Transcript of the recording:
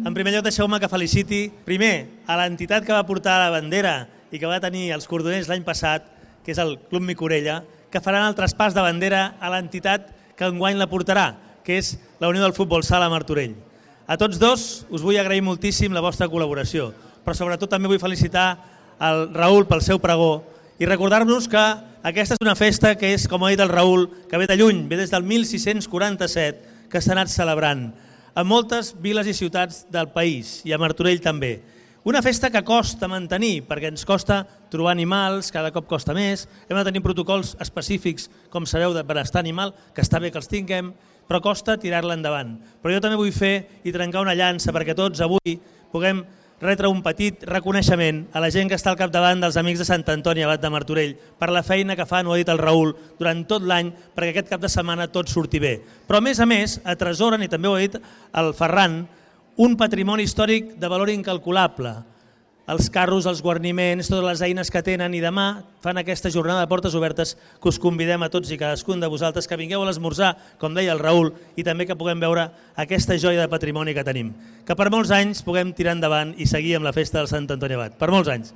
En primer lloc, deixeu-me que feliciti, primer, a l'entitat que va portar la bandera i que va tenir els cordoners l'any passat, que és el Club Micorella, que faran el traspàs de bandera a l'entitat que enguany la portarà, que és la Unió del Futbol Sala Martorell. A tots dos us vull agrair moltíssim la vostra col·laboració, però sobretot també vull felicitar el Raül pel seu pregó i recordar-nos que aquesta és una festa que és, com ha dit el Raül, que ve de lluny, ve des del 1647, que s'ha anat celebrant a moltes viles i ciutats del país i a Martorell també. Una festa que costa mantenir, perquè ens costa trobar animals, cada cop costa més, hem de tenir protocols específics, com sabeu, de benestar animal, que està bé que els tinguem, però costa tirar-la endavant. Però jo també vull fer i trencar una llança perquè tots avui puguem retre un petit reconeixement a la gent que està al capdavant dels Amics de Sant Antoni Abat de Martorell per la feina que fan, ho ha dit el Raül, durant tot l'any perquè aquest cap de setmana tot surti bé. Però a més, atresoren, i també ho ha dit el Ferran, un patrimoni històric de valor incalculable. Els carros, els guarniments, totes les eines que tenen, i demà fan aquesta jornada de portes obertes que us convidem a tots i cadascun de vosaltres que vingueu a l'esmorzar, com deia el Raül, i també que puguem veure aquesta joia de patrimoni que tenim. Que per molts anys puguem tirar endavant i seguir amb la festa del Sant Antoni Abat. Per molts anys.